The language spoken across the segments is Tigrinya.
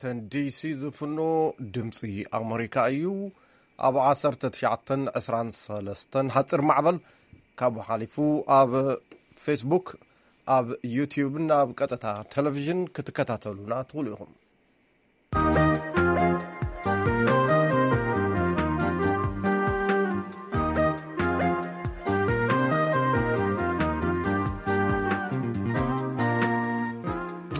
ዋሽንግተን ዲሲ ዝፍኖ ድምፂ ኣመሪካ እዩ። ኣብ ዓሰርተ ትሽዓተን ዕስራን ሰለስተን ሓፂር ማዕበል ካብኡ ሓሊፉ ኣብ ፌስቡክ፣ ኣብ ዩቲዩብን ኣብ ቀጥታ ቴሌቪዥን ክትከታተሉና ትኽእሉ ኢኹም።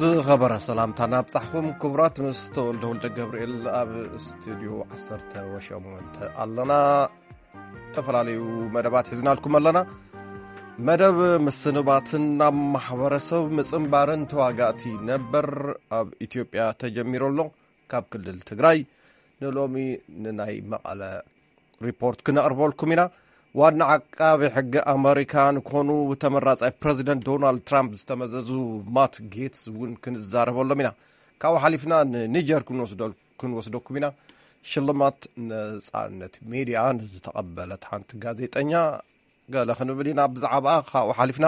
ዝኸበረ ሰላምታና ኣብጻሕኹም ክቡራት፣ ምስ ተወልደ ወልደ ገብርኤል ኣብ ስቱድዮ ዓሰርተ ሸሞንተ ኣለና። ዝተፈላለዩ መደባት ሒዝናልኩም ኣለና። መደብ ምስንባትን ናብ ማሕበረሰብ ምጽንባርን ተዋጋእቲ ነበር ኣብ ኢትዮጵያ ተጀሚሩ ኣሎ። ካብ ክልል ትግራይ ንሎሚ ንናይ መቐለ ሪፖርት ክነቕርበልኩም ኢና። ዋና ዓቃቢ ሕጊ ኣመሪካ ንኮኑ ተመራጻይ ፕረዚደንት ዶናልድ ትራምፕ ዝተመዘዙ ማት ጌትስ እውን ክንዛረበሎም ኢና። ካብኡ ሓሊፍና ንኒጀር ክንወስደል-፣ ክንወስደኩም ኢና። ሽልማት ነጻነት ሜድያ ንዝተቐበለት ሓንቲ ጋዜጠኛ ገለ ክንብል ኢና ብዛዕባኣ። ካብኡ ሓሊፍና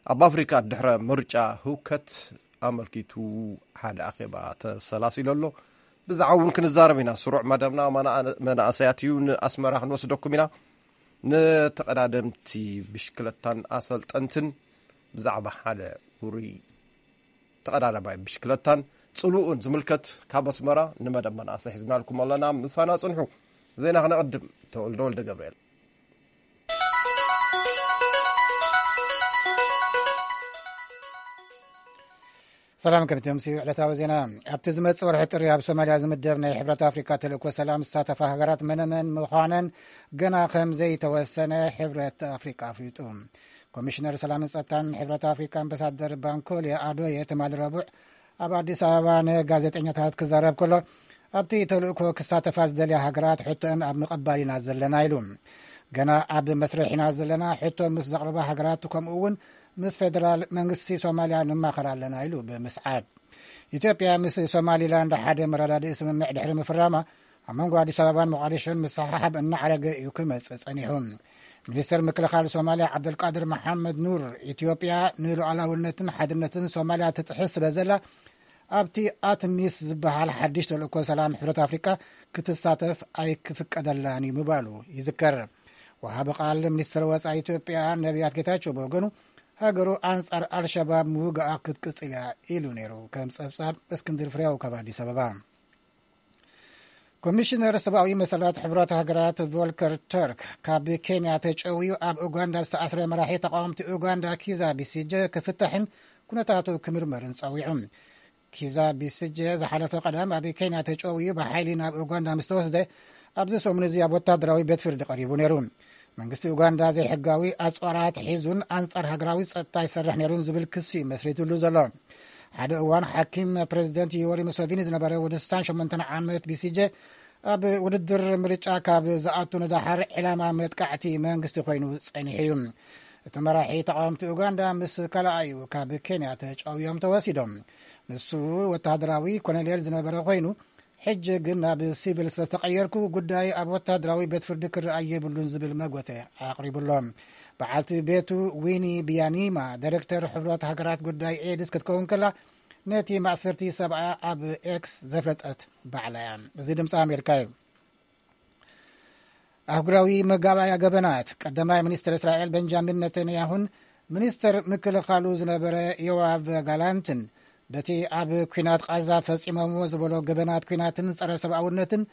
ኣብ ኣፍሪካ ድሕረ ምርጫ ህውከት ኣመልኪቱ ሓደ ኣኼባ ተሰላሲሉ ኣሎ። ብዛዕባ እውን ክንዛረብ ኢና። ስሩዕ መደብና መና-፣ መናእሰያት እዩ። ንኣስመራ ክንወስደኩም ኢና። ንተቐዳደምቲ ብሽክለታን ኣሰልጠንትን ብዛዕባ ሓደ ውሩይ ተቐዳዳማይ ብሽክለታን ጽልኡን ዝምልከት ካብ ኣስመራ ንመደብ መናእሰይ ሒዝናልኩም ኣለና። ምሳና ጽንሑ። ዜና ክነቕድም። ተወልደ ወልደ ገብርኤል። ሰላም፣ ከምቲ ኣምስዩ ዕለታዊ ዜና። ኣብቲ ዝመጽእ ወርሒ ጥሪ ኣብ ሶማልያ ዝምደብ ናይ ሕብረት ኣፍሪካ ተልእኮ ሰላም ዝሳተፋ ሃገራት መነመን ምዃነን ገና ከም ዘይተወሰነ ሕብረት ኣፍሪካ ኣፍሊጡ። ኮሚሽነር ሰላምን ጸጥታን ሕብረት ኣፍሪካ ኣምባሳደር ባንኮሊ ኣዶየ ትማሊ ረቡዕ ኣብ ኣዲስ ኣበባ ንጋዜጠኛታት ክዛረብ ከሎ፣ ኣብቲ ተልእኮ ክሳተፋ ዝደልያ ሃገራት ሕቶአን ኣብ ምቕባል ኢና ዘለና ኢሉ። ገና ኣብ መስርሕ ኢና ዘለና፣ ሕቶ ምስ ዘቕርባ ሃገራት ከምኡ እውን ምስ ፌደራል መንግስቲ ሶማልያ ንማኸር ኣለና ኢሉ ብምስዓብ። ኢትዮጵያ ምስ ሶማሊላንድ ሓደ መረዳድኢ ስምምዕ ድሕሪ ምፍራማ፣ ኣብ መንጎ ኣዲስ ኣበባን ሞቃዲሾን ምስሕሓብ እናዓረገ እዩ ክመጽእ ጸኒሑ። ሚኒስተር ምክልኻል ሶማልያ ዓብደልቃድር መሓመድ ኑር፣ ኢትዮጵያ ንሉዓላውነትን ሓድነትን ሶማልያ ትጥሕስ ስለ ዘላ፣ ኣብቲ ኣትሚስ ዝበሃል ሓድሽ ተልእኮ ሰላም ሕብረት ኣፍሪቃ ክትሳተፍ ኣይክፍቀደላን እዩ ምባሉ ይዝከር። ወሃቢ ቃል ሚኒስትር ወጻኢ ኢትዮጵያ ነቢያት ጌታቸው ብወገኑ፣ ሃገሩ ኣንጻር ኣልሸባብ ምውጋኣ ክትቅጽል እያ ኢሉ ነይሩ። ከም ጸብጻብ እስክንድር ፍሬው ካብ ኣዲስ ኣበባ። ኮሚሽነር ሰብኣዊ መሰላት ሕብረት ሃገራት ቮልከር ተርክ፣ ካብ ኬንያ ተጨውዩ ኣብ ኡጋንዳ ዝተኣስረ መራሒ ተቃወምቲ ኡጋንዳ ኪዛ ቢሲጀ ክፍታሕን ኩነታቱ ክምርመርን ጸዊዑ። ኪዛ ቢሲጀ ዝሓለፈ ቀዳም ኣብ ኬንያ ተጨውዩ ብሓይሊ ናብ ኡጋንዳ ምስ ተወስደ፣ ኣብዚ ሰሙን እዚ ኣብ ወታደራዊ ቤት ፍርዲ ቀሪቡ ነይሩ። መንግስቲ ኡጋንዳ ዘይሕጋዊ ኣጽዋራት ሒዙን ኣንጻር ሃገራዊ ጸጥታ ይሰርሕ ነይሩን ዝብል ክሲ መስሪትሉ ዘሎ። ሓደ እዋን ሓኪም ፕረዚደንት ዮወሪ ሙሰቪኒ ዝነበረ ወዲ ስሳን ሸሞንተን ዓመት ቢሲጀ፣ ኣብ ውድድር ምርጫ ካብ ዝኣቱ ንደሓር ዕላማ መጥቃዕቲ መንግስቲ ኮይኑ ጸኒሑ እዩ። እቲ መራሒ ተቃወምቲ ኡጋንዳ ምስ ካልኣዩ ካብ ኬንያ ተጨውዮም ተወሲዶም። ንሱ ወተሃደራዊ ኮሎኔል ዝነበረ ኮይኑ፣ ሕጂ ግን ናብ ሲቪል ስለ ዝተቐየርኩ፣ ጉዳይ ኣብ ወተሃደራዊ ቤት ፍርዲ ክረኣይ የብሉን ዝብል መጎተ ኣቕሪቡሎ። በዓልቲ ቤቱ ዊኒ ብያኒማ፣ ዳይሬክተር ሕብረት ሃገራት ጉዳይ ኤድስ ክትከውን ከላ፣ ነቲ ማእሰርቲ ሰብኣ ኣብ ኤክስ ዘፍለጠት ባዕላ እያ። እዚ ድምፂ ኣሜሪካ እዩ። ኣህጉራዊ መጋባእያ ገበናት፣ ቀዳማይ ሚኒስትር እስራኤል ቤንጃሚን ነተንያሁን ሚኒስትር ምክልኻሉ ዝነበረ ዮዋቭ ጋላንትን፣ በቲ ኣብ ኲናት ቃዛ ፈጺሞምዎ ዝበሎ ገበናት ኲናትን ጸረ ሰብኣውነትን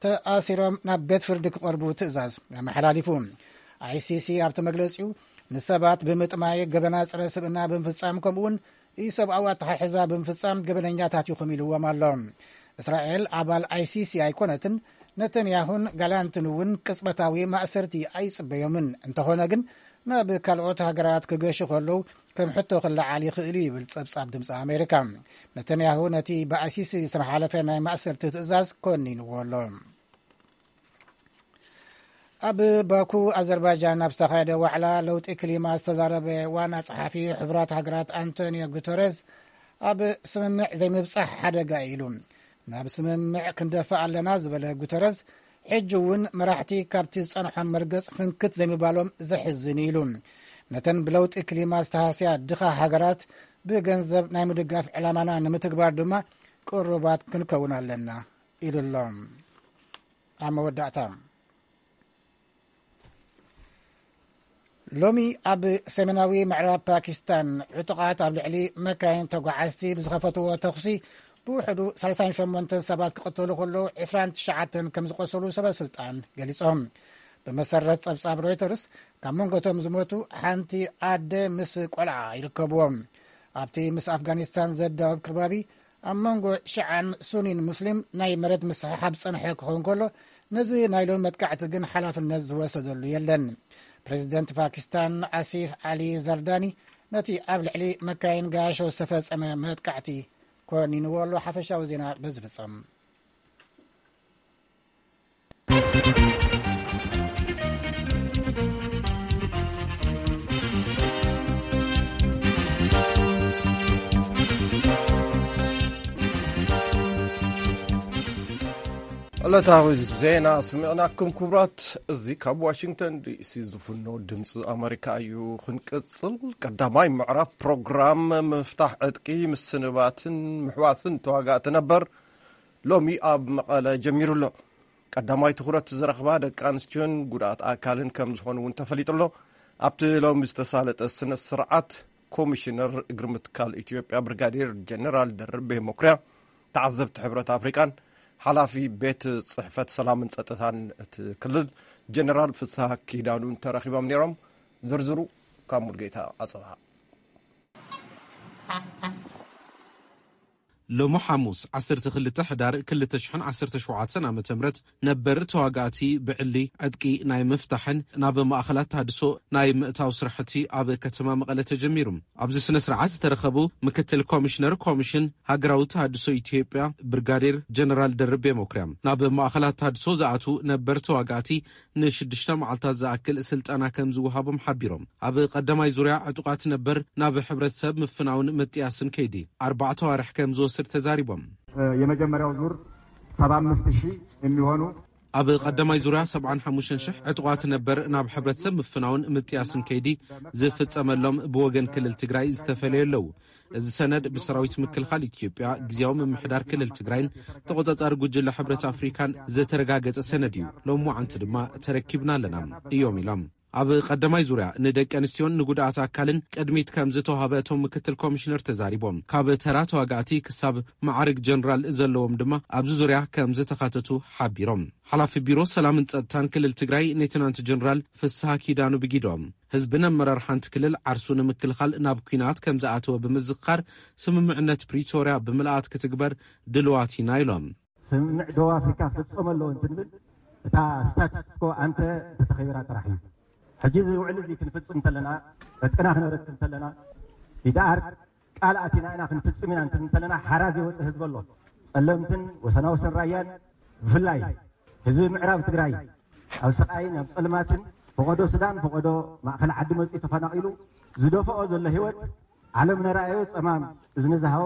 ተኣሲሮም ናብ ቤት ፍርዲ ክቐርቡ ትእዛዝ ኣመሓላሊፉ። ኣይሲሲ ኣብቲ መግለጺኡ፣ ንሰባት ብምጥማይ ገበናት ጸረ ስብእና ብምፍጻም፣ ከምኡውን ኢሰብኣዊ ኣተሓሕዛ ብምፍጻም ገበነኛታት ኢኹም ኢልዎም ኣሎ። እስራኤል ኣባል ኣይሲሲ ኣይኮነትን፣ ነተንያሁን ጋላንትን እውን ቅጽበታዊ ማእሰርቲ ኣይጽበዮምን። እንተኾነ ግን፣ ናብ ካልኦት ሃገራት ክገሹ ከለዉ ከም ሕቶ ክለዓል ይኽእል እዩ ይብል ጸብጻብ ድምፂ ኣሜሪካ። ነተንያሁ ነቲ ብኣይሲሲ ዝተመሓለፈ ናይ ማእሰርቲ ትእዛዝ ኮኒንዎ ኣሎ። ኣብ ባኩ ኣዘርባይጃን ኣብ ዝተኻየደ ዋዕላ ለውጢ ክሊማ ዝተዛረበ ዋና ጸሓፊ ሕቡራት ሃገራት ኣንቶኒዮ ጉተረዝ፣ ኣብ ስምምዕ ዘይምብጻሕ ሓደጋ እዩ ኢሉ። ናብ ስምምዕ ክንደፍእ ኣለና ዝበለ ጉተረዝ፣ ሕጂ እውን መራሕቲ ካብቲ ዝጸንሖም መርገጽ ፍንክት ዘይምባሎም ዘሕዝን እዩ ኢሉ። ነተን ብለውጢ ክሊማ ዝተሃስያ ድኻ ሃገራት ብገንዘብ ናይ ምድጋፍ ዕላማና ንምትግባር ድማ ቅሩባት ክንከውን ኣለና ኢሉ ኣሎ። ኣብ መወዳእታ፣ ሎሚ ኣብ ሰሜናዊ ምዕራብ ፓኪስታን ዕጡቓት ኣብ ልዕሊ መካይን ተጓዓዝቲ ብዝኸፈትዎ ተኹሲ ብውሕዱ ሰላሳን ሸሞንተን ሰባት ክቕተሉ ከለዉ ዕስራን ትሽዓተን ከም ዝቖሰሉ ሰበ ስልጣን ገሊጾም። ብመሰረት ጸብጻብ ሮይተርስ፣ ካብ መንጎቶም ዝሞቱ ሓንቲ ኣደ ምስ ቆልዓ ይርከብዎም። ኣብቲ ምስ ኣፍጋኒስታን ዘዳወብ ከባቢ ኣብ መንጎ ሽዓን ሱኒን ሙስሊም ናይ መሬት ምስሕሓብ ዝጸንሐ ክኸውን ከሎ፣ ነዚ ናይ ሎሚ መጥቃዕቲ ግን ሓላፍነት ዝወሰደሉ የለን። ፕሬዚደንት ፓኪስታን ኣሲፍ ዓሊ ዘርዳኒ ነቲ ኣብ ልዕሊ መካይን ጋያሾ ዝተፈጸመ መጥቃዕቲ ኮኒንዎ ኣሎ። ሓፈሻዊ ዜና በዚ ፍጸም። ዕለታዊ ዜና ስሚዕናኩም ክቡራት። እዚ ካብ ዋሽንግተን ዲሲ ዝፍኖ ድምፂ ኣመሪካ እዩ። ክንቅፅል፣ ቀዳማይ ምዕራፍ ፕሮግራም ምፍታሕ ዕጥቂ፣ ምስንባትን ምሕዋስን ተዋጋእቲ ነበር ሎሚ ኣብ መቐለ ጀሚሩ ኣሎ። ቀዳማይ ትኹረት ዝረኽባ ደቂ ኣንስትዮን ጉድኣት ኣካልን ከም ዝኾኑ እውን ተፈሊጡ ኣሎ። ኣብቲ ሎሚ ዝተሳለጠ ስነ ስርዓት፣ ኮሚሽነር እግሪ ምትካል ኢትዮጵያ ብርጋዴር ጀነራል ደርቤ መኩሪያ፣ ተዓዘብቲ ሕብረት ኣፍሪቃን ሓላፊ ቤት ጽሕፈት ሰላምን ጸጥታን እቲ ክልል ጀነራል ፍስሃ ኪዳኑን ተረኺቦም ነይሮም። ዝርዝሩ ካብ ሙልጌታ ኣጽብሃ። ሎሚ ሓሙስ ዓሰርተ ክልተ ሕዳር ክልተ ሽሕን ዓሰርተ ሸውዓተን ዓመተ ምህረት ነበር ተዋጋእቲ ብዕሊ ዕጥቂ ናይ ምፍታሕን ናብ ማእኸላት ተሃድሶ ናይ ምእታው ስራሕቲ ኣብ ከተማ መቐለ ተጀሚሩ። ኣብዚ ስነ ስርዓት ዝተረኸቡ ምክትል ኮሚሽነር ኮሚሽን ሃገራዊ ተሃድሶ ኢትዮጵያ ብርጋዴር ጀነራል ደርቤ መኩሪያ፣ ናብ ማእኸላት ተሃድሶ ዝኣትዉ ነበር ተዋጋእቲ ንሽዱሽተ መዓልታት ዝኣክል ስልጠና ከም ዝወሃቦም ሓቢሮም። ኣብ ቀዳማይ ዙርያ ዕጡቓት ነበር ናብ ሕብረተሰብ ምፍናውን ምጥያስን ከይዲ ኣርባዕተ ኣዋርሕ ከም ዝወስድ ተዛሪቦም። የመጀመሪያው ዙር ሰባ አምስት ሺህ የሚሆኑ ኣብ ቀዳማይ ዙርያ ሰብዓን ሓሙሽተን ሽሕ ዕጡቓት ነበር ናብ ሕብረተሰብ ምፍናውን ምጥያስን ከይዲ ዝፍጸመሎም ብወገን ክልል ትግራይ ዝተፈለዩ ኣለዉ። እዚ ሰነድ ብሰራዊት ምክልኻል ኢትዮጵያ፣ ግዝያዊ ምምሕዳር ክልል ትግራይን ተቖጻጻሪ ጉጅለ ሕብረት ኣፍሪካን ዝተረጋገጸ ሰነድ እዩ። ሎሚ መዓንቲ ድማ ተረኪብና ኣለና እዮም ኢሎም። ኣብ ቀዳማይ ዙርያ ንደቂ ኣንስትዮን ንጉድኣት ኣካልን ቅድሚት ከም ዝተዋህበ እቶም ምክትል ኮሚሽነር ተዛሪቦም። ካብ ተራ ተዋጋእቲ ክሳብ ማዕርግ ጀነራል ዘለዎም ድማ ኣብዚ ዙርያ ከም ዝተኻተቱ ሓቢሮም። ሓላፊ ቢሮ ሰላምን ጸጥታን ክልል ትግራይ ሌተናንት ጀነራል ፍስሃ ኪዳኑ ብጊዶም፣ ህዝብን ኣመራርሓን እቲ ክልል ዓርሱ ንምክልኻል ናብ ኲናት ከም ዝኣተወ ብምዝኽኻር፣ ስምምዕነት ፕሪቶርያ ብምልኣት ክትግበር ድልዋት ኢና ኢሎም። ስምምዕ ደቡብ ኣፍሪካ ክፍጸም ኣለዎ እንትንብል፣ እታ ስታትስኮ ኣንተ እንተተኸቢራ ጥራሕ እዩ። ሕጂ እዚ ውዕል እዚ ክንፍጽም እንተለና፣ ዕጥቅና ክነረክብ እንተለና፣ ኢድኣር ቃል ኣቲና ኢና ክንፍጽም ኢና እንትንብል እንተለና፣ ሓራ ዘይወጽእ ህዝቢ ኣሎ። ጸለምትን ወሰናወሰን ራያን ብፍላይ ህዝቢ ምዕራብ ትግራይ፣ ኣብ ስቓይን ኣብ ጸልማትን፣ ፈቐዶ ሱዳን፣ ፈቐዶ ማእከል ዓዲ መጺኡ ተፈናቒሉ ዝደፍኦ ዘሎ ህይወት፣ ዓለም ነራእዮ ጸማም እዝኒ ዝሃቦ።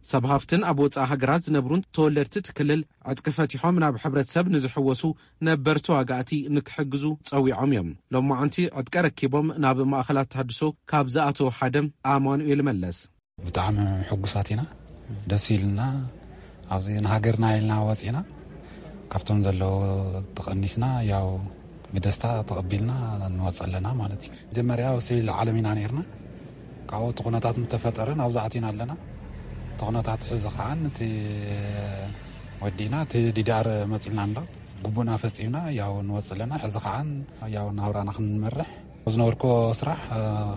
ሰብ ሃፍትን ኣብ ወጻኢ ሃገራት ዝነብሩን ተወለድቲ እቲ ክልል ዕጥቂ ፈቲሖም ናብ ሕብረተሰብ ንዝሕወሱ ነበር ተዋጋእቲ ንክሕግዙ ጸዊዖም እዮም። ሎማዓንቲ ዕጥቂ ረኪቦም ናብ ማእኸላት ተሃድሶ ካብ ዝኣተዉ ሓደ ኣማኑኤል መለስ። ብጣዕሚ ሕጉሳት ኢና፣ ደስ ኢልና። ኣብዚ ንሃገርና ኢልና ወፂና፣ ካብቶም ዘለዉ ተቐኒስና፣ ያው ብደስታ ተቐቢልና ንወፅእ ኣለና ማለት እዩ። መጀመርያ ኣብ ሲቪል ዓለም ኢና ነይርና። ካብኡ እቲ ኩነታት ምተፈጠረ ናብዚ ኣቲና ኣለና። እቲ ኩነታት ሕዚ ከዓ እቲ ወዲእና፣ እቲ ዲዲኣር መፂልና ኣሎ። ግቡእና ፈፂምና ያው ንወፅእ ኣለና። ሕዚ ከዓ ያው ናብራና ክንመርሕ፣ ዝነበርኩ ስራሕ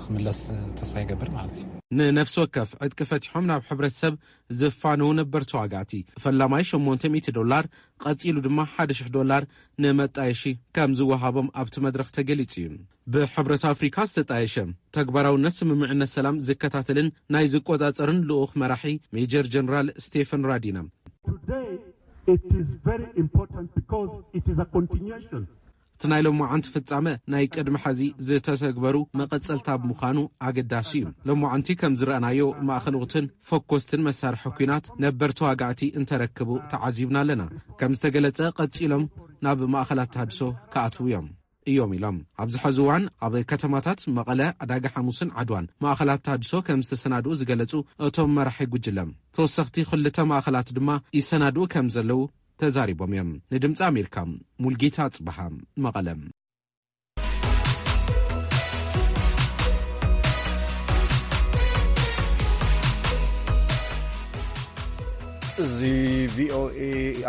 ክምለስ ተስፋ ይገብር ማለት እዩ። ንነፍሲ ወከፍ ዕጥቂ ፈቲሖም ናብ ሕብረተሰብ ዝፋነዉ ነበር ተዋጋእቲ ፈላማይ ሸሞንተ ሚእቲ ዶላር፣ ቀጺሉ ድማ ሓደ ሽሕ ዶላር ንመጣየሺ ከም ዝወሃቦም ኣብቲ መድረኽ ተገሊጹ እዩ። ብሕብረት ኣፍሪካ ዝተጣየሸ ተግባራውነት ስምምዕነት ሰላም ዝከታተልን ናይ ዝቆጻጸርን ልኡኽ መራሒ ሜጀር ጀነራል ስቴፈን ራዲና፣ Today, it is very important because it is a continuation እቲ ናይ ሎማዓንቲ ፍጻመ ናይ ቅድሚ ሐዚ ዝተተግበሩ መቐጸልታ ብምዃኑ ኣገዳሲ እዩ። ሎማዓንቲ ከም ዝረኣናዮ ማእኸል ወቕትን ፈኮስትን መሳርሒ ኲናት ነበር ተዋጋእቲ እንተረክቡ ተዓዚብና ኣለና። ከም ዝተገለጸ ቀጺሎም ናብ ማእኸላት ተሃድሶ ክኣትዉ እዮም። እዮም ኢሎም። ኣብዚ ሐዚ እዋን ኣብ ከተማታት መቐለ፣ ዕዳጋ ሓሙስን ዓድዋን ማእኸላት ተሃድሶ ከም ዝተሰናድኡ ዝገለጹ እቶም መራሒ ጉጅለ፣ ተወሰኽቲ ክልተ ማእኸላት ድማ ይሰናድኡ ከም ዘለዉ ተዛሪቦም እዮም። ንድምፂ ኣሜሪካ፣ ሙልጌታ ጽበሃ፣ መቐለ። እዚ ቪኦኤ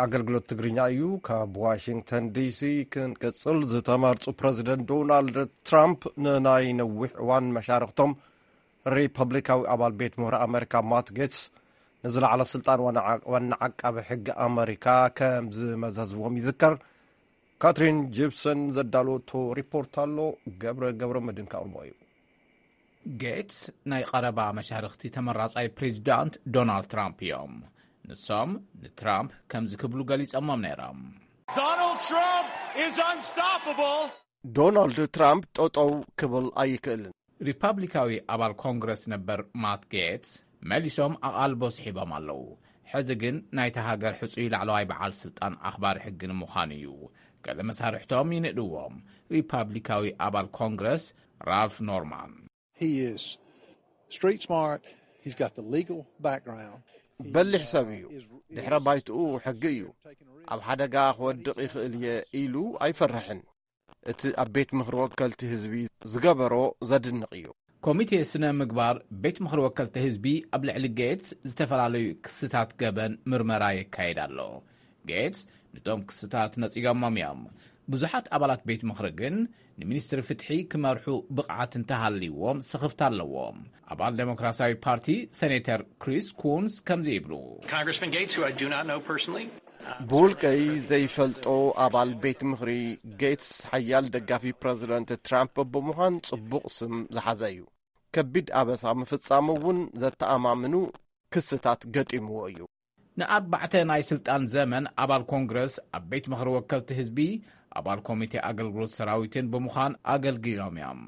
ኣገልግሎት ትግርኛ እዩ። ካብ ዋሽንግተን ዲሲ ክንቅጽል፣ ዝተመርጹ ፕረዚደንት ዶናልድ ትራምፕ ንናይ ነዊሕ እዋን መሻርኽቶም ሪፐብሊካዊ ኣባል ቤት ምኽሪ ኣመሪካ ማት ጌትስ፣ ንዝለዓለ ስልጣን ዋና ዓ-፣ ዋና ዓቃቢ ሕጊ ኣመሪካ ከም ዝመዘዝዎም ይዝከር። ካትሪን ጂፕሰን ዘዳለወቶ ሪፖርት ኣሎ። ገብረ ገብረ መድህን ከቕርቦ እዩ። ጌትስ ናይ ቀረባ መሻርኽቲ ተመራጻይ ፕሬዚዳንት ዶናልድ ትራምፕ እዮም። ንሶም ንትራምፕ ከምዚ ክብሉ ገሊጾሞም ነይሮም። Donald Trump is unstoppable. ዶናልድ ትራምፕ ጠጠው ክብል ኣይክእልን። ሪፓብሊካዊ ኣባል ኮንግረስ ነበር ማት ጌትስ መሊሶም ኣቓልቦ ስሒቦም ኣለዉ። ሕዚ ግን ናይታ ሃገር ሕጹይ ላዕለዋይ በዓል ስልጣን ኣኽባሪ ሕጊ ንምዃን እዩ። ገለ መሳርሕቶም ይንእድዎም። ሪፓብሊካዊ ኣባል ኮንግረስ ራልፍ ኖርማን። He is street smart. He's got the legal background. በሊሕ ሰብ እዩ። ድሕረ ባይትኡ ሕጊ እዩ። ኣብ ሓደጋ ክወድቕ ይኽእል እየ ኢሉ ኣይፈርሕን። እቲ ኣብ ቤት ምኽሪ ወከልቲ ህዝቢ ዝገበሮ ዘድንቕ እዩ። ኮሚቴ ስነ ምግባር ቤት ምኽሪ ወከልቲ ህዝቢ ኣብ ልዕሊ ጌትስ ዝተፈላለዩ ክስታት ገበን ምርመራ የካይድ ኣሎ። ጌትስ ንቶም ክስታት ነጺጎሞም እዮም። ብዙሓት ኣባላት ቤት ምኽሪ ግን ንሚኒስትሪ ፍትሒ ክመርሑ ብቕዓት እንተሃልይዎም ስኽፍታ ኣለዎም። ኣባል ዴሞክራሲያዊ ፓርቲ ሴኔተር ክሪስ ኩንስ ከምዚ ይብሉ። Congressman Gates, who I do not know personally, ብውልቀይ ዘይፈልጦ ኣባል ቤት ምኽሪ ጌትስ ሓያል ደጋፊ ፕረዚደንት ትራምፕ ብምዃን ጽቡቕ ስም ዝሓዘ እዩ። ከቢድ ኣበሳ ምፍጻሙ እውን ዘተኣማምኑ ክስታት ገጢምዎ እዩ። ንኣርባዕተ ናይ ስልጣን ዘመን ኣባል ኮንግረስ፣ ኣብ ቤት ምኽሪ ወከልቲ ህዝቢ፣ ኣባል ኮሚቴ ኣገልግሎት ሰራዊትን ብምዃን ኣገልጊሎም እዮም።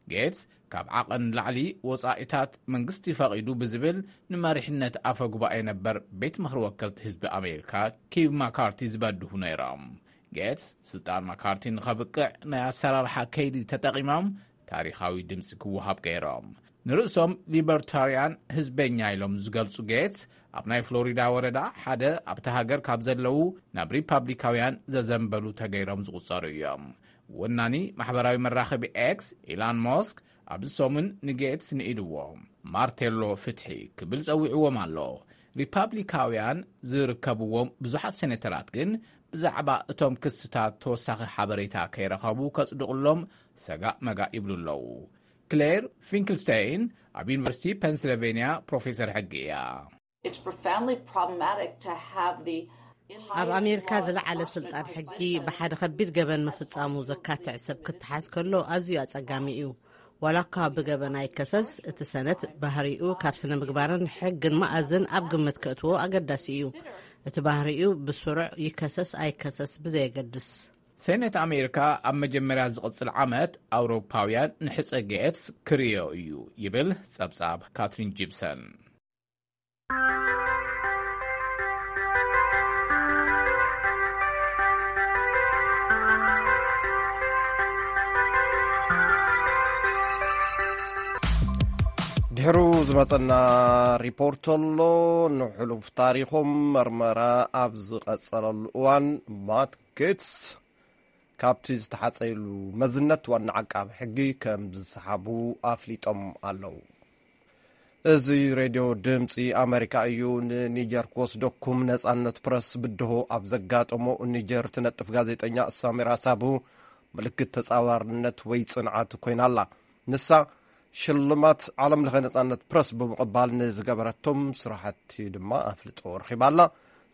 ጌትስ ካብ ዓቐን ንላዕሊ ወጻኢታት መንግስቲ ፈቒዱ ብዝብል ንመሪሕነት ኣፈ ጉባኤ ነበር ቤት ምኽሪ ወከልቲ ህዝቢ ኣሜሪካ ኪቭ ማካርቲ ዝበድሁ ነይሮም። ጌትስ ስልጣን ማካርቲ ንኸብቅዕ ናይ ኣሰራርሓ ከይዲ ተጠቒሞም ታሪኻዊ ድምፂ ክወሃብ ገይሮም። ንርእሶም ሊበርታርያን ህዝበኛ ኢሎም ዝገልጹ ጌትስ፣ ኣብ ናይ ፍሎሪዳ ወረዳ ሓደ ኣብቲ ሃገር ካብ ዘለዉ ናብ ሪፓብሊካውያን ዘዘንበሉ ተገይሮም ዝቑጸሩ እዮም። ወናኒ ማሕበራዊ መራኸቢ ኤክስ ኢላን ሞስክ ኣብዚ ሰሙን ንጌትስ ንኢድዎ። ማርቴሎ ፍትሒ ክብል ጸዊዕዎም ኣሎ። ሪፓብሊካውያን ዝርከብዎም ብዙሓት ሴኔተራት ግን ብዛዕባ እቶም ክስታት ተወሳኺ ሓበሬታ ከይረኸቡ ከጽድቑሎም ሰጋእ መጋእ ይብሉ ኣለዉ። ክሌር ፊንክልስተይን ኣብ ዩኒቨርሲቲ ፔንስልቬንያ ፕሮፌሰር ሕጊ እያ። It's profoundly problematic to have the ኣብ ኣሜሪካ ዝለዓለ ስልጣን ሕጊ ብሓደ ከቢድ ገበን ምፍጻሙ ዘካትዕ ሰብ ክተሓዝ ከሎ ኣዝዩ ኣጸጋሚ እዩ። ዋላ እኳ ብገበን ኣይከሰስ፣ እቲ ሰነት ባህሪኡ ካብ ስነ ምግባርን ሕግን መኣዝን ኣብ ግምት ከእትዎ ኣገዳሲ እዩ። እቲ ባህሪኡ ብስሩዕ ይከሰስ ኣይከሰስ ብዘየገድስ። ሴኔት ኣሜሪካ ኣብ መጀመርያ ዝቕጽል ዓመት ኣውሮፓውያን ንሕጸ ጌትስ ክርእዮ እዩ ይብል ጸብጻብ ካትሪን ጂፕሰን። ድሕሩ ዝመጸና ሪፖርት ኣሎ። ንሕሉፍ ታሪኾም መርመራ ኣብ ዝቐጸለሉ እዋን ማት ጌትስ ካብቲ ዝተሓጸየሉ መዝነት ዋና ዓቃቢ ሕጊ ከም ዝሰሓቡ ኣፍሊጦም ኣለዉ። እዚ ሬድዮ ድምፂ ኣመሪካ እዩ። ንኒጀር ክወስደኩም ነፃነት ፕረስ ብድሆ ኣብ ዘጋጠሞ ኒጀር ትነጥፍ ጋዜጠኛ ሳሚራ ሳቡ ምልክት ተፃዋርነት ወይ ፅንዓት ኮይና ኣላ። ንሳ ሽልማት ዓለም ለኸ ነፃነት ፕረስ ብምቕባል ንዝገበረቶም ስራሕቲ ድማ ኣፍልጦ ረኺባ ኣላ።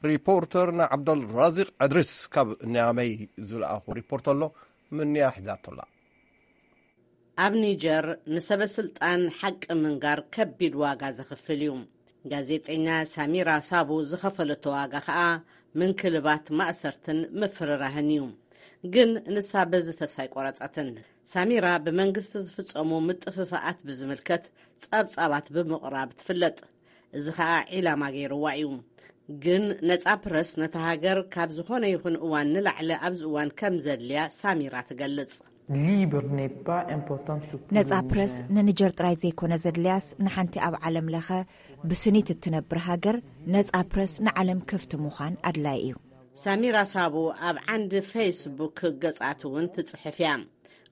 ሪፖርተርና ዓብደል ራዚቅ ዕድሪስ ካብ ኒያመይ ዝለኣኹ ሪፖርት ኣሎ፣ ምንያ ሒዛቶላ። ኣብ ኒጀር ንሰበ ስልጣን ሓቂ ምንጋር ከቢድ ዋጋ ዘኽፍል እዩ። ጋዜጠኛ ሳሚራ ሳቡ ዝኸፈለቶ ዋጋ ኸኣ ምንክልባት፣ ማእሰርትን ምፍርራህን እዩ። ግን ንሳ በዚ ተስፋ ኣይቆረጸትን። ሳሚራ ብመንግስቲ ዝፍጸሙ ምጥፍፋኣት ብዝምልከት ጸብጻባት ብምቕራብ ትፍለጥ። እዚ ኸኣ ዒላማ ገይርዋ እዩ። ግን ነጻ ፕረስ ነታ ሃገር ካብ ዝኾነ ይኹን እዋን ንላዕሊ ኣብዚ እዋን ከም ዘድልያ ሳሚራ ትገልጽ። Libre n'est pas importante pour tout ነጻ le ፕረስ Niger. ንኒጀር ጥራይ ዘይኮነ ዘድልያስ፣ ንሓንቲ ኣብ ዓለም ለኸ ብስኒት እትነብር ሃገር፣ ነጻ ፕረስ ንዓለም ክፍቲ ምዃን ኣድላይ እዩ። ሳሚራ ሳቡ ኣብ ዓንዲ ፌስቡክ ገጻት እውን ትጽሕፍ እያ።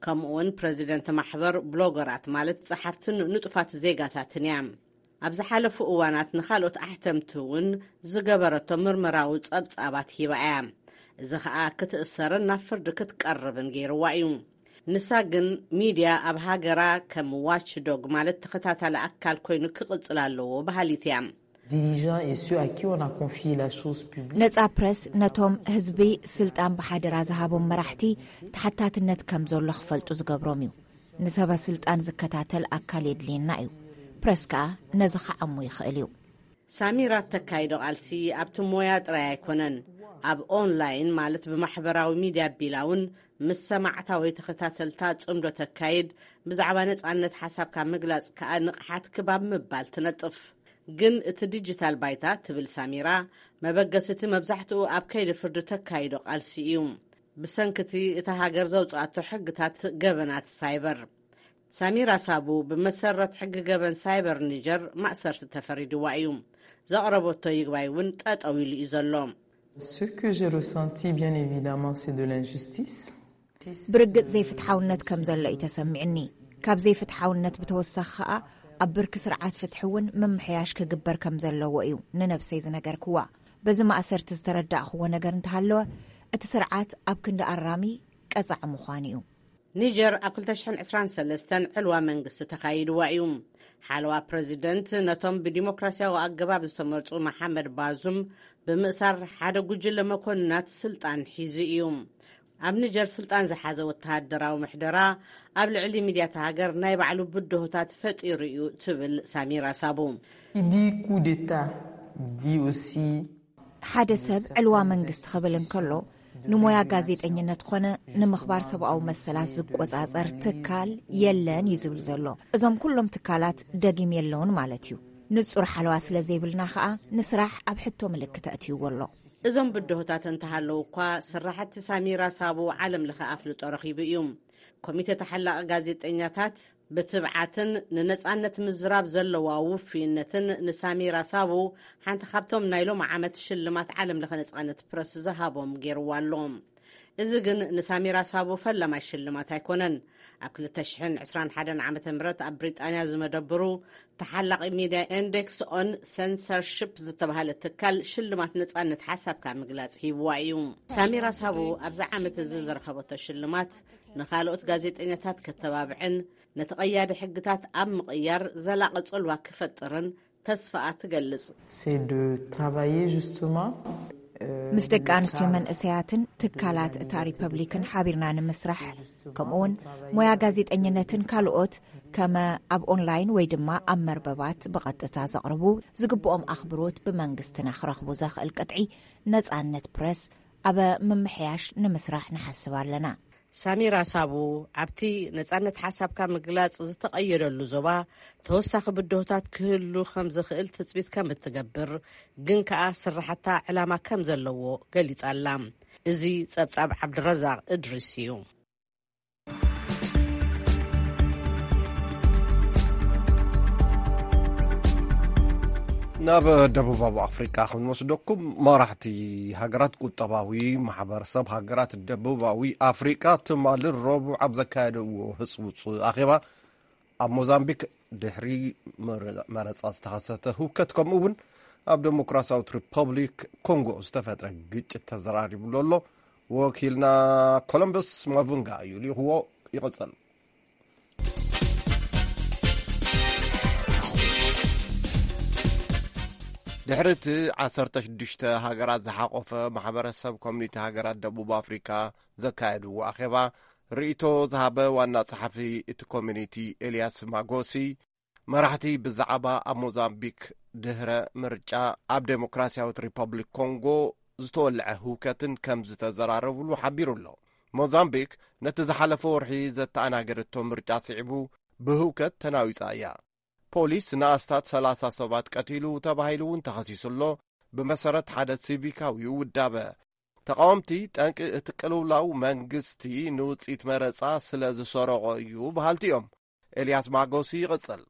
ከምኡውን ፕረዚደንት ማሕበር ብሎገራት፣ ማለት ጸሓፍትን ንጡፋት ዜጋታትን እያ። ኣብ ዝሓለፉ እዋናት ንኻልኦት ኣሕተምቲ እውን ዝገበረቶ ምርመራዊ ጸብጻባት ሂባ እያ። እዚ ኸኣ ክትእሰርን ናብ ፍርዲ ክትቀርብን ገይርዋ እዩ። ንሳ ግን ሚድያ ኣብ ሃገራ ከም ዋች ዶግ፣ ማለት ተኸታታሊ ኣካል ኮይኑ ክቕጽል ኣለዎ በሃሊት እያ። Dirigeants et ceux à qui on a confié la chose publique. ነጻ ፕረስ ነቶም ህዝቢ ስልጣን ብሓደራ ዝሃቦም መራሕቲ ተሓታትነት ከም ዘሎ ክፈልጡ ዝገብሮም እዩ። ንሰበ ስልጣን ዝከታተል ኣካል የድልየና እዩ። ፕረስ ከኣ ነዚ ክዓሙ ይኽእል እዩ። ሳሚራ እተካይዶ ቃልሲ ኣብቲ ሞያ ጥራይ ኣይኮነን። ኣብ ኦንላይን፣ ማለት ብማሕበራዊ ሚድያ ኣቢላ እውን ምስ ሰማዕታ ወይ ተኸታተልታ ጽምዶ ተካይድ። ብዛዕባ ነጻነት ሓሳብካ ምግላጽ ከኣ ንቕሓት ክባብ ምባል ትነጥፍ። ግን እቲ ዲጂታል ባይታ፣ ትብል ሳሚራ፣ መበገሲ እቲ መብዛሕትኡ ኣብ ከይዲ ፍርዲ ተካይዶ ቃልሲ እዩ። ብሰንክቲ እታ ሃገር ዘውጽኣቶ ሕግታት ገበናት ሳይበር። ሳሚራ ሳቡ ብመሰረት ሕጊ ገበን ሳይበር ኒጀር ማእሰርቲ ተፈሪድዋ እዩ። ዘቕረበቶ ይግባይ እውን ጠጠው ኢሉ እዩ ዘሎ። Ce que j'ai ressenti, bien évidemment, c'est de l'injustice. ብርግጽ ዘይፍትሓውነት ከም ዘሎ እዩ ተሰሚዕኒ። ካብ ዘይፍትሓውነት ብተወሳኺ ከኣ ኣብ ብርኪ ስርዓት ፍትሒ እውን ምምሕያሽ ክግበር ከም ዘለዎ እዩ ንነብሰይ ዝነገርክዋ። በዚ ማእሰርቲ ዝተረዳእኽዎ ነገር እንተሃለወ፣ እቲ ስርዓት ኣብ ክንዲ ኣራሚ ቀጻዒ ምዃኑ እዩ። ኒጀር ኣብ ክልተ ሽሕን ዕስራን ሰለስተን ዕልዋ መንግስቲ ተኻይድዋ እዩ። ሓለዋ ፕረዚደንት ነቶም ብዲሞክራሲያዊ ኣገባብ ዝተመርጹ መሓመድ ባዙም ብምእሳር፣ ሓደ ጉጅለ መኮንናት ስልጣን ሒዙ እዩ። ኣብ ኒጀር ስልጣን ዝሓዘ ወተሃደራዊ ምሕደራ ኣብ ልዕሊ ሚድያት ሃገር ናይ ባዕሉ ብድሆታት ፈጢሩ እዩ፣ ትብል ሳሚራ ሳቡ። Qui dit coup d'État dit aussi ሓደ ሰብ ዕልዋ መንግስቲ ክብል እንከሎ፣ ንሞያ ጋዜጠኝነት ኮነ ንምኽባር ሰብኣዊ መሰላት ዝቆጻጸር ትካል የለን እዩ ዝብል ዘሎ። እዞም ኩሎም ትካላት ደጊም የለውን ማለት እዩ። ንጹር ሓለዋ ስለ ዘይብልና ከኣ፣ ንስራሕ ኣብ ሕቶ ምልክት ኣእትይዎ ኣሎ። እዞም ብድሆታት እንተሃለዉ እኳ፣ ስራሕቲ ሳሚራ ሳቡ ዓለም ለኸ ኣፍልጦ ረኺቡ እዩ። ኮሚተ ተሓላቒ ጋዜጠኛታት ብትብዓትን ንነጻነት ምዝራብ ዘለዋ ውፍይነትን ንሳሚራ ሳቡ ሓንቲ ካብቶም ናይ ሎም ዓመት ሽልማት ዓለም ለኸ ነጻነት ፕረስ ዝሃቦም ገይርዋ ኣሎ። እዚ ግን ንሳሚራ ሳቡ ፈላማይ ሽልማት ኣይኮነን። ኣብ ክልተ ሽሕን ዕስራን ሓደን ዓመተ ምህረት ኣብ ብሪጣንያ ዝመደብሩ ተሓላቒ ሚድያ ኢንዴክስ ኦን ሰንሰርሺፕ ዝተባህለ ትካል ሽልማት ነጻነት ሓሳብካ ምግላጽ ሂብዋ እዩ። ሳሚራ ሳቡ ኣብዚ ዓመት እዚ ዝረኸበቶ ሽልማት ንኻልኦት ጋዜጠኛታት ከተባብዕን ነቲ ቀያዲ ሕግታት ኣብ ምቕያር ዘላቒ ጽልዋ ክፈጥርን ተስፋኣ ትገልጽ። C'est de travailler justement euh, ምስ ደቂ ኣንስትዮ መንእሰያትን ትካላት እታ ሪፐብሊክን ሓቢርና ንምስራሕ፣ ከምኡውን ሞያ ጋዜጠኝነትን ካልኦት ከመ ኣብ ኦንላይን ወይ ድማ ኣብ መርበባት ብቐጥታ ዘቕርቡ፣ ዝግብኦም ኣኽብሮት ብመንግስትና ክረኽቡ ዘኽእል ቅጥዒ፣ ነጻነት ፕረስ ኣብ ምምሕያሽ ንምስራሕ ንሓስብ ኣለና። ሳሚራ ሳቡ ኣብቲ ነጻነት ሓሳብካ ምግላጽ ዝተቐየደሉ ዞባ ተወሳኺ ብድሆታት ክህሉ ከም ዝኽእል ትጽቢት ከም እትገብር፣ ግን ከኣ ስራሕታ ዕላማ ከም ዘለዎ ገሊጻ ኣላ። እዚ ጸብጻብ ዓብድረዛቕ እድሪስ እዩ። ናብ ደቡባዊ ኣፍሪቃ ክንወስደኩም። መራሕቲ ሃገራት ቁጠባዊ ማሕበረሰብ ሃገራት ደቡባዊ ኣፍሪቃ ትማሊ ረቡዕ ኣብ ዘካየደዎ ህጽውጽ ኣኼባ፣ ኣብ ሞዛምቢክ ድሕሪ መረ- መረጻ ዝተኸሰተ ህውከት፣ ከምኡ እውን ኣብ ዴሞክራሲያዊት ሪፐብሊክ ኮንጎ ዝተፈጥረ ግጭት ተዘራሪቡሉ ኣሎ። ወኪልና ኮሎምበስ ማቡንጋ እዩ ልኢኽዎ። ይቕጽል። ድሕሪ እቲ ዓሰርተ ሽዱሽተ ሃገራት ዝሓቖፈ ማሕበረሰብ ኮሚኒቲ ሃገራት ደቡብ ኣፍሪካ ዘካየድዎ ኣኼባ፣ ርእይቶ ዝሃበ ዋና ጸሓፊ እቲ ኮሚኒቲ ኤልያስ ማጎሲ፣ መራሕቲ ብዛዕባ ኣብ ሞዛምቢክ ድህረ ምርጫ ኣብ ዴሞክራሲያዊት ሪፐብሊክ ኮንጎ ዝተወልዐ ህውከትን ከም ዝተዘራረብሉ ሓቢሩ ኣሎ። ሞዛምቢክ ነቲ ዝሓለፈ ወርሒ ዘተኣናገደቶ ምርጫ ስዒቡ ብህውከት ተናዊጻ እያ። ፖሊስ ንኣስታት ሰላሳ ሰባት ቀቲሉ ተባሂሉ እውን ተኸሲሱ ኣሎ። ብመሰረት ሓደ ሲቪካዊ ውዳበ፣ ተቓወምቲ፣ ጠንቂ እቲ ቅልውላው መንግስቲ ንውጽኢት መረጻ ስለ ዝሰረቖ እዩ በሃልቲ እዮም። ኤልያስ ማጎሲ ይቕጽል።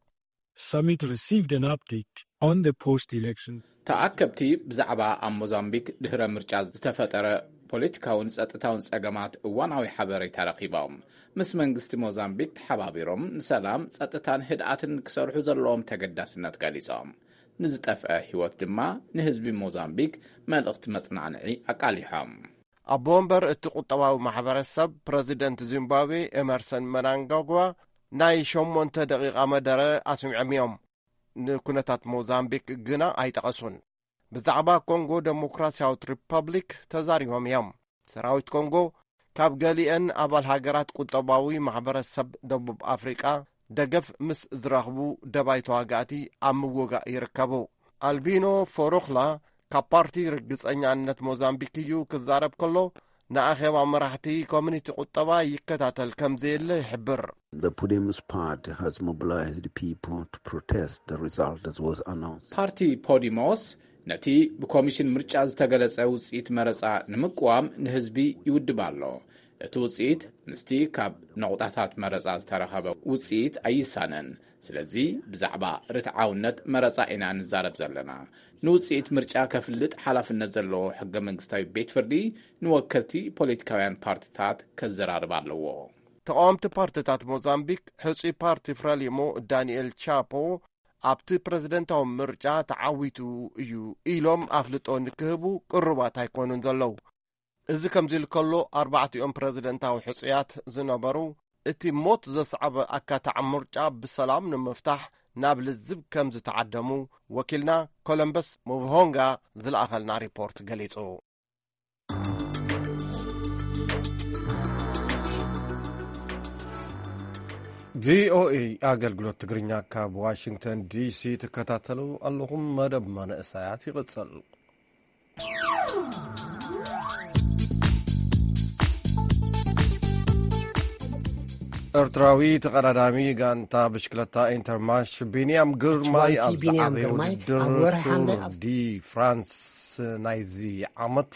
Summit received an update on the post-election. ተኣከብቲ ብዛዕባ ኣብ ሞዛምቢክ ድህረ ምርጫ ዝተፈጠረ ፖለቲካውን ጸጥታውን ጸገማት እዋናዊ ሓበሬታ ረኺቦም። ምስ መንግስቲ ሞዛምቢክ ተሓባቢሮም ንሰላም፣ ጸጥታን ህድኣትን ክሰርሑ ዘለዎም ተገዳስነት ገሊጾም። ንዝጠፍአ ህይወት ድማ ንህዝቢ ሞዛምቢክ መልእኽቲ መጽናንዒ ኣቃሊሖም። ኣቦ ወንበር እቲ ቁጠባዊ ማሕበረሰብ ፕረዚደንት ዚምባብዌ ኤመርሰን መናንጋጓ ናይ ሸሞንተ ደቂቓ መደረ ኣስሚዖም እዮም። ንኩነታት ሞዛምቢክ ግና ኣይጠቐሱን። ብዛዕባ ኮንጎ ደሞክራሲያዊት ሪፐብሊክ ተዛሪቦም እዮም። ሰራዊት ኮንጎ ካብ ገሊአን ኣባል ሃገራት ቁጠባዊ ማሕበረሰብ ደቡብ ኣፍሪቃ ደገፍ ምስ ዝረኽቡ ደባይ ተዋጋእቲ ኣብ ምውጋእ ይርከቡ። ኣልቢኖ ፎሮኽላ ካብ ፓርቲ ርግጸኛነት ሞዛምቢክ እዩ ክዛረብ ከሎ፣ ንኣኼባ መራሕቲ ኮሚኒቲ ቁጠባ ይከታተል ከም ዘየለ ይሕብር። The Podemos party has mobilized people to protest the result that was announced. ፓርቲ ፖዲሞስ ነቲ ብኮሚሽን ምርጫ ዝተገለጸ ውጽኢት መረጻ ንምቅዋም ንህዝቢ ይውድብ ኣሎ። እቲ ውጽኢት ምስቲ ካብ ነቑጣታት መረጻ ዝተረኸበ ውጽኢት ኣይሳነን። ስለዚ ብዛዕባ ርትዓውነት መረጻ ኢና ንዛረብ ዘለና። ንውጽኢት ምርጫ ከፍልጥ ሓላፍነት ዘለዎ ሕገ መንግስታዊ ቤት ፍርዲ ንወከልቲ ፖለቲካውያን ፓርትታት ከዘራርብ ኣለዎ። ተቓወምቲ ፓርትታት ሞዛምቢክ፣ ሕጹይ ፓርቲ ፍረሊሞ ዳንኤል ቻፖ ኣብቲ ፕረዚደንታዊ ምርጫ ተዓዊቱ እዩ ኢሎም ኣፍልጦ ንክህቡ ቅሩባት ኣይኮኑን ዘለዉ። እዚ ከምዚ ኢሉ ከሎ፣ ኣርባዕቲኦም ፕረዚደንታዊ ሕጹያት ዝነበሩ፣ እቲ ሞት ዘስዓበ ኣካታዕ ምርጫ ብሰላም ንምፍታሕ ናብ ልዝብ ከም ዝተዓደሙ ወኪልና ኮለምበስ ሙቭሆንጋ ዝለኣኸልና ሪፖርት ገሊጹ። ቪኦኤ ኣገልግሎት ትግርኛ ካብ ዋሽንግተን ዲሲ ትከታተሉ ኣለኹም። መደብ መንእሰያት ይቕጽል። ኤርትራዊ ተቐዳዳሚ ጋንታ ብሽክለታ ኢንተርማርሽ ቢንያም ግርማይ ኣብ ዝዓበየ ውድድር ቱር ዲ ፍራንስ ናይዚ ዓመት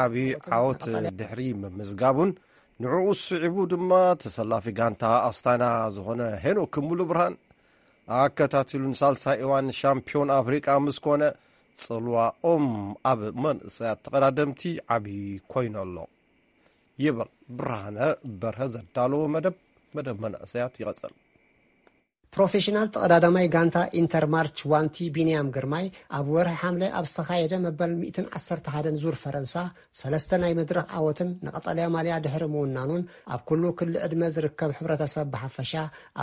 ዓቢ ዓወት ድሕሪ ምምዝጋቡን ንዕኡ ስዒቡ ድማ ተሰላፊ ጋንታ ኣስታና ዝኾነ ሄኖክ ሙሉ ብርሃን ኣከታቲሉ ንሳልሳይ እዋን ሻምፒዮን ኣፍሪቃ ምስ ኮነ ጽልዋኦም ኣብ መንእሰያት ተቐዳደምቲ ዓቢ ኮይኑ ኣሎ ይብል ብርሃነ በርሀ ዘዳለዎ መደብ። መደብ መንእሰያት ይቐጽል። ፕሮፌሽናል ተቐዳዳማይ ጋንታ ኢንተርማርች ዋንቲ ቢንያም ግርማይ ኣብ ወርሒ ሓምለ ኣብ ዝተኻየደ መበል ሚእትን ዓሰርተ ሓደን ዙር ፈረንሳ ሰለስተ ናይ መድረኽ ዓወትን ንቐጠልያ ማልያ ድሕሪ ምውናኑን ኣብ ኩሉ ክሊ ዕድመ ዝርከብ ሕብረተሰብ ብሓፈሻ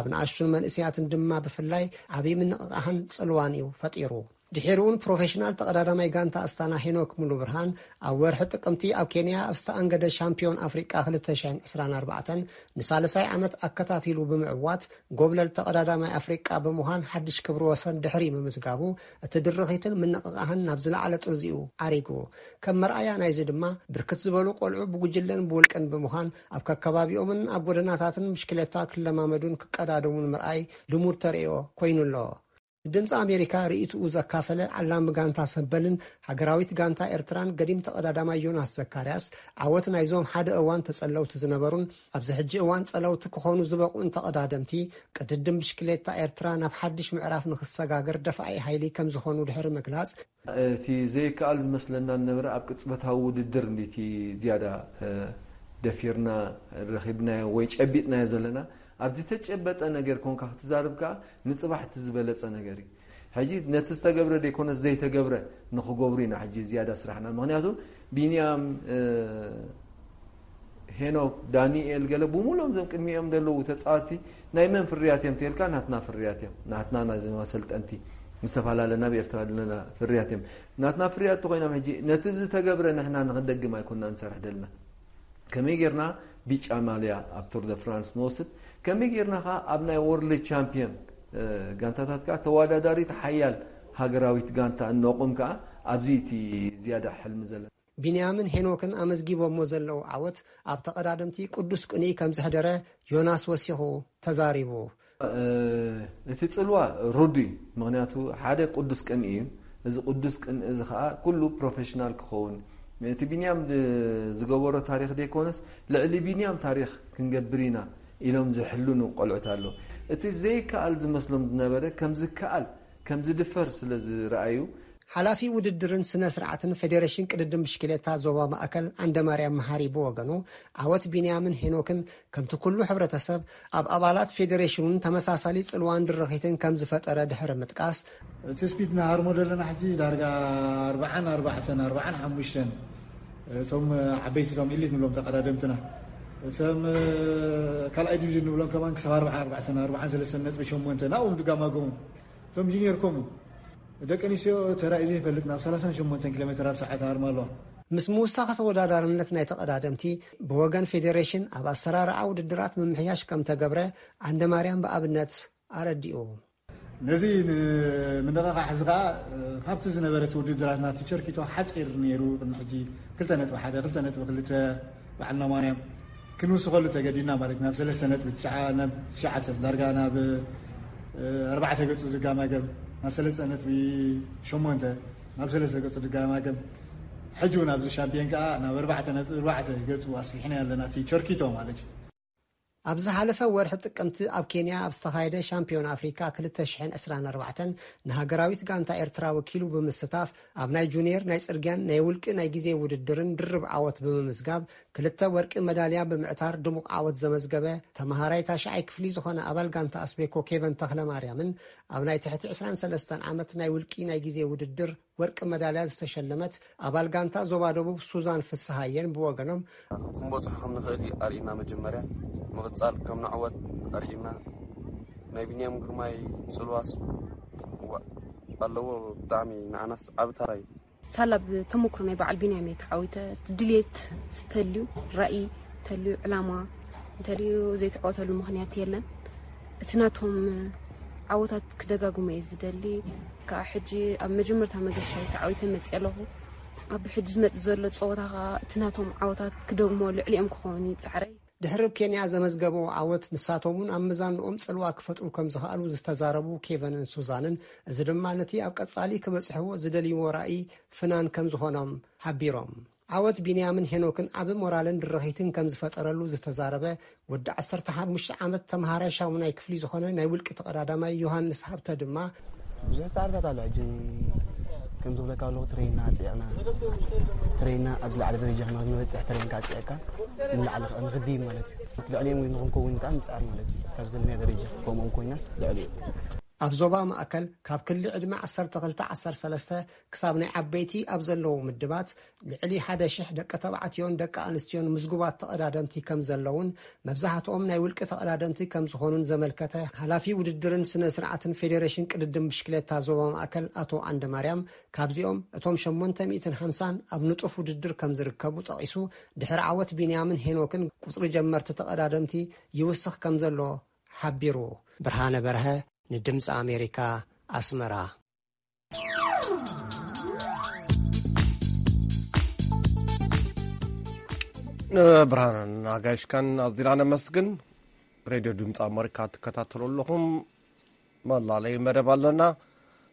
ኣብ ንኣሽቱን መንእሰያትን ድማ ብፍላይ ዓብዪ ምንቕቓሕን ጽልዋን እዩ ፈጢሩ። ድሒሩውን ፕሮፌሽናል ተቐዳዳማይ ጋንታ ኣስታና ሄኖክ ሙሉ ብርሃን ኣብ ወርሒ ጥቅምቲ ኣብ ኬንያ ኣብ ዝተኣንገደ ሻምፒዮን ኣፍሪቃ ክልተ ሽሕን ዕስራን ኣርባዕተን ንሳልሳይ ዓመት ኣከታቲሉ ብምዕዋት ጎብለል ተቐዳዳማይ ኣፍሪቃ ብምዃን ሓድሽ ክብሪ ወሰን ድሕሪ ምምዝጋቡ እቲ ድርኺትን ምንቕቓሕን ናብ ዝለዓለ ጥርዚኡ ዓሪጉ። ከም መርኣያ ናይዚ ድማ ብርክት ዝበሉ ቆልዑ ብጉጅለን ብውልቅን ብምዃን ኣብ ከከባቢኦምን ኣብ ጎደናታትን ብሽክሌታ ክለማመዱን ክቀዳደሙን ምርኣይ ልሙድ ተርእዮ ኮይኑ ኣሎ። ድምፂ ኣሜሪካ ርእይትኡ ዘካፈለ ዓላሚ ጋንታ ሰበልን ሃገራዊት ጋንታ ኤርትራን ገዲም ተቐዳዳማይ ዮናስ ዘካርያስ ዓወት ናይዞም ሓደ እዋን ተጸለውቲ ዝነበሩን ኣብዚ ሕጂ እዋን ጸለውቲ ክኾኑ ዝበቕዑን ተቐዳደምቲ ቅድድም ብሽክሌታ ኤርትራ ናብ ሓድሽ ምዕራፍ ንክሰጋገር ደፋኢ ሓይሊ ከም ዝኾኑ ድሕሪ ምግላጽ እቲ ዘይከኣል ዝመስለና ዝነበረ ኣብ ቅጽበታዊ ውድድር እንዲቲ ዝያዳ ደፊርና ረኺብናዮ ወይ ጨቢጥናዮ ዘለና። ኣብ ዝተጨበጠ ነገር ኮንካ ክትዛርብ ከኣ ንጽባሕ እቲ ዝበለጸ ነገር እዩ። ሕጂ ነቲ ዝተገብረ ዘይኮነስ ዘይተገብረ ንኽገብሩ ኢና ሕጂ ዝያዳ ስራሕና። ምኽንያቱ ቢንያም፣ ሄኖክ፣ ዳኒኤል ገለ ብምሉኦም እዞም ቅድሚኦም ዘለዉ ተጻወትቲ ናይ መን ፍርያት እዮም ተልካ? ናትና ፍርያት እዮም። ናትና ናይዞም ኣሰልጠንቲ ዝተፈላለ ናብ ኤርትራ ዘለና ፍርያት እዮም። ናትና ፍርያት ተኾይኖም ሕጂ ነቲ ዝተገብረ ንሕና ንኽንደግም ኣይኮንና ንሰርሕ ደልና። ከመይ ጌርና ቢጫ ማልያ ኣብ ቱር ደ ፍራንስ ንወስድ፣ ከመይ ጌርና ኸዓ ኣብ ናይ ወርልድ ቻምፒዮን ጋንታታት ከዓ ተወዳዳሪት ሓያል ሃገራዊት ጋንታ እነቑም ከዓ ኣብዚ እቲ ዝያዳ ሕልሚ ዘለና። ቢንያምን ሄኖክን ኣመዝጊቦሞ ዘለዉ ዓወት ኣብ ተቐዳደምቲ ቅዱስ ቅንኢ ከም ዘሕደረ ዮናስ ወሲኹ ተዛሪቡ። እቲ ጽልዋ ሩዱ እዩ። ምኽንያቱ ሓደ ቅዱስ ቅንኢ እዩ። እዚ ቅዱስ ቅንኢ እዚ ኸዓ ኩሉ ፕሮፌሽናል ክኸውን እቲ ቢንያም ድ- ዝገበሮ ታሪክ ዘይኮነስ ልዕሊ ቢንያም ታሪክ ክንገብር ኢና ኢሎም ዝሕልኑ ቆልዑት ኣለዉ። እቲ ዘይከኣል ዝመስሎም ዝነበረ ከም ዝከኣል ከም ዝድፈር ስለ ዝረኣዩ። ሓላፊ ውድድርን ስነ ስርዓትን ፌዴሬሽን ቅድድም ብሽክሌታ ዞባ ማእከል ዓንደማርያም መሃሪ ብወገኑ፣ ዓወት ቢንያምን ሄኖክን ከምቲ ኩሉ ሕብረተሰብ ኣብ ኣባላት ፌዴሬሽኑን ተመሳሳሊ ጽልዋን ድርኺትን ከም ዝፈጠረ ድሕሪ ምጥቃስ፣ እቲ ስፒድ ንሃርሞ ዘለና ሕጂ ዳርጋ ኣርባዓን ኣርባዕተን ኣርባዓን ሓሙሽተን እቶም ዓበይቲ እቶም ኢሊት ንብሎም ተቐዳደምትና እቶም ካልኣይ ዲቪዥን ንብሎም ከማን ክሳብ ኣርባዓን ኣርባዕተን ኣርባዓን ሰለስተን ነጥቢ ሸሞንተ ናብኦም ድጋማጎም እቶም ጂኒየር ከምኡ ደቂ ኣንስትዮ ተራእዩ ዘይፈልጥ ናብ ሰላሳን ሸሞንተን ኪሎ ሜትር ኣብ ሰዓት ኣርማ ኣለዋ። ምስ ምውሳኽ ተወዳዳርነት ናይ ተቐዳደምቲ ብወገን ፌዴሬሽን ኣብ ኣሰራርዓ ውድድራት ምምሕያሽ ከም ተገብረ ዓንደማርያም ብኣብነት ኣረዲኡ። ነዚ ንምንቕቓሕ እዚ ከዓ ካብቲ ዝነበረት ውድድራት ናቲ ቸርኪቶ ሓፂር ነይሩ። ቅድሚ ሕጂ ክልተ ነጥቢ ሓደ ክልተ ነጥቢ ክልተ በዓልና ማርያም ክንውስኸሉ ተገዲና ማለት ናብ ሰለስተ ነጥቢ ትሽዓ ናብ ትሽዓተ ዳርጋ ናብ ኣርባዕተ ገፁ ዝጋማገም ናብ ሰለስተ ነጥቢ ሸሞንተ ናብ ሰለስተ ገፁ ዝጋማገም ሕጂ እውን ኣብዚ ሻምፒዮን ከዓ ናብ ኣርባዕተ ነጥቢ ኣርባዕተ ገፁ ኣስሊሕና ኣለና እቲ ቸርኪቶ ማለት እዩ። ኣብ ዝሓለፈ ወርሒ ጥቅምቲ ኣብ ኬንያ ኣብ ዝተኻየደ ሻምፒዮን ኣፍሪካ ክልተ ሽሕን ዕስራን ኣርባዕተን ንሃገራዊት ጋንታ ኤርትራ ወኪሉ ብምስታፍ ኣብ ናይ ጁኒየር ናይ ጽርግያን ናይ ውልቂ ናይ ግዜ ውድድርን ድርብ ዓወት ብምምዝጋብ ክልተ ወርቂ መዳልያ ብምዕታር ድሙቕ ዓወት ዘመዝገበ ተመሃራይ ታሽዓይ ክፍሊ ዝኾነ ኣባል ጋንታ ኣስቤኮ ኬቨን ተኽለ ማርያምን ኣብ ናይ ትሕቲ ዕስራን ሰለስተን ዓመት ናይ ውልቂ ናይ ግዜ ውድድር ወርቂ መዳልያ ዝተሸለመት ኣባል ጋንታ ዞባ ደቡብ ሱዛን ፍስሃየን ብወገኖም፣ ክንበፅሖ ከም ንኽእል እዩ ኣርእና። መጀመርያ ምቕፃል ከም ንዕወት ኣርእና። ናይ ቢንያም ግርማይ ፅልዋስ ኣለዎ። ብጣዕሚ ንዓናስ ዓብ ታራ እዩ። ሳላ ብተመክሮ ናይ በዓል ቢንያም እየ ተዓዊተ። ድልየት ዝተልዩ ራእይ እንተልዩ ዕላማ እንተልዩ ዘይተዓወተሉ ምኽንያት የለን። እቲ ናቶም ዓወታት ክደጋግሞ እየ ዝደሊ። ከዓ ሕጂ ኣብ መጀመርታ መገሻ ተዓዊተ መፅእ ኣለኹ። ኣብ ሕጂ ዝመፅእ ዘሎ ፀወታ ከዓ እቲ ናቶም ዓወታት ክደግሞ ልዕሊኦም ክኸውን እዩ ፃዕረይ። ድሕሪ ኬንያ ዘመዝገበዎ ዓወት ንሳቶም እውን ኣብ ምዛንኦም ፅልዋ ክፈጥሩ ከም ዝኸኣሉ ዝተዛረቡ ኬቨንን ሱዛንን፣ እዚ ድማ ነቲ ኣብ ቀፃሊ ክበፅሕዎ ዝደልይዎ ራእይ ፍናን ከም ዝኾኖም ሓቢሮም። ዓወት ቢንያምን ሄኖክን ዓቢ ሞራልን ድርኺትን ከም ዝፈጠረሉ ዝተዛረበ ወዲ ዓሰርተ ሓሙሽተ ዓመት ተምሃራይ ሻሙናይ ክፍሊ ዝኾነ ናይ ውልቂ ተቐዳዳማይ ዮሃንስ ሃብተ ድማ፣ ብዙሕ ፃዕርታት ኣሎ። ሕጂ ከም ዝብለካ ኣለኹ ትሬና ኣፅዕቕና ትሬና ኣብ ዝለዓለ ደረጃ ንክንበፅሕ ትሬንካ ኣፅዕቕካ ንላዕሊ ንክድይብ ማለት እዩ። ልዕሊኦም ንክንከውን ከዓ ንፅዓር ማለት እዩ። ካብ ዘለና ደረጃ ከምኦም ኮይናስ ልዕሊኡ ኣብ ዞባ ማእከል ካብ ክሊ ዕድመ ዓሰርተ ክልተ ዓሰርተ ሰለስተ ክሳብ ናይ ዓበይቲ ኣብ ዘለዉ ምድባት ልዕሊ ሓደ ሽሕ ደቂ ተባዕትዮን ደቂ ኣንስትዮን ምዝጉባት ተቐዳደምቲ ከም ዘለውን መብዛሕትኦም ናይ ውልቂ ተቐዳደምቲ ከም ዝኾኑን ዘመልከተ ሓላፊ ውድድርን ስነ ስርዓትን ፌዴሬሽን ቅድድም ብሽክሌታ ዞባ ማእከል ኣቶ ዓንደ ማርያም ካብዚኦም እቶም ሸሞንተ ሚእትን ሓምሳን ኣብ ንጡፍ ውድድር ከም ዝርከቡ ጠቒሱ ድሕሪ ዓወት ቢንያምን ሄኖክን ቁፅሪ ጀመርቲ ተቐዳደምቲ ይውስኽ ከም ዘሎ ሓቢሩ። ብርሃነ በርሀ ንድምፂ ኣሜሪካ ኣስመራ። ንብርሃንን ኣጋይሽካን ኣዚና ነመስግን። ሬድዮ ድምፂ ኣሜሪካ ትከታተሉ ኣለኹም። መላለይ መደብ ኣለና።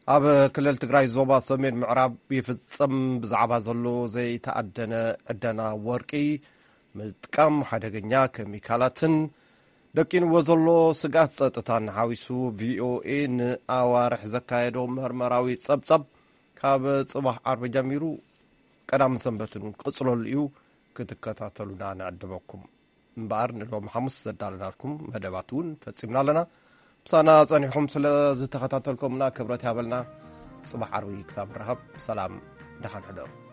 ኣብ ክልል ትግራይ ዞባ ሰሜን ምዕራብ ይፍጸም ብዛዕባ ዘሎ ዘይተኣደነ ዕደና ወርቂ፣ ምጥቃም ሓደገኛ ኬሚካላትን ደቂንዎ ዘሎ ስግኣት ጸጥታን ሓዊሱ ቪኦኤ ንኣዋርሕ ዘካየዶ መርመራዊ ጸብጸብ ካብ ጽባሕ ዓርቢ ጀሚሩ ቀዳምን ሰንበትን ክቕጽለሉ እዩ። ክትከታተሉና ንዕድመኩም። እምበኣር ንሎሚ ሓሙስ ዘዳለናልኩም መደባት እውን ፈጺምና ኣለና። ምሳና ጸኒሕኩም ስለ ዝተኸታተልኩምና ክብረት ያበልና። ጽባሕ ዓርቢ ክሳብ ንራኸብ ሰላም፣ ደሓን ሕደሩ።